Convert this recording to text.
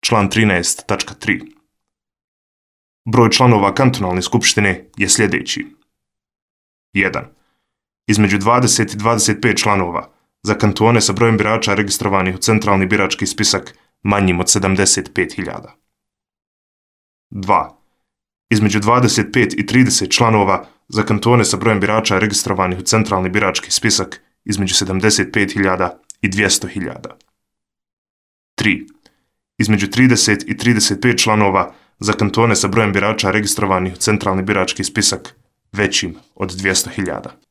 član 13.3. Broj članova kantonalne skupštine je sljedeći. 1. Između 20 i 25 članova za kantone sa brojem birača registrovanih u centralni birački spisak manjim od 75.000. 2. Između 25 i 30 članova za kantone sa brojem birača registrovanih u centralni birački spisak između 75.000 i 200.000. 3. Između 30 i 35 članova za kantone sa brojem birača registrovanih u centralni birački spisak većim od 200.000.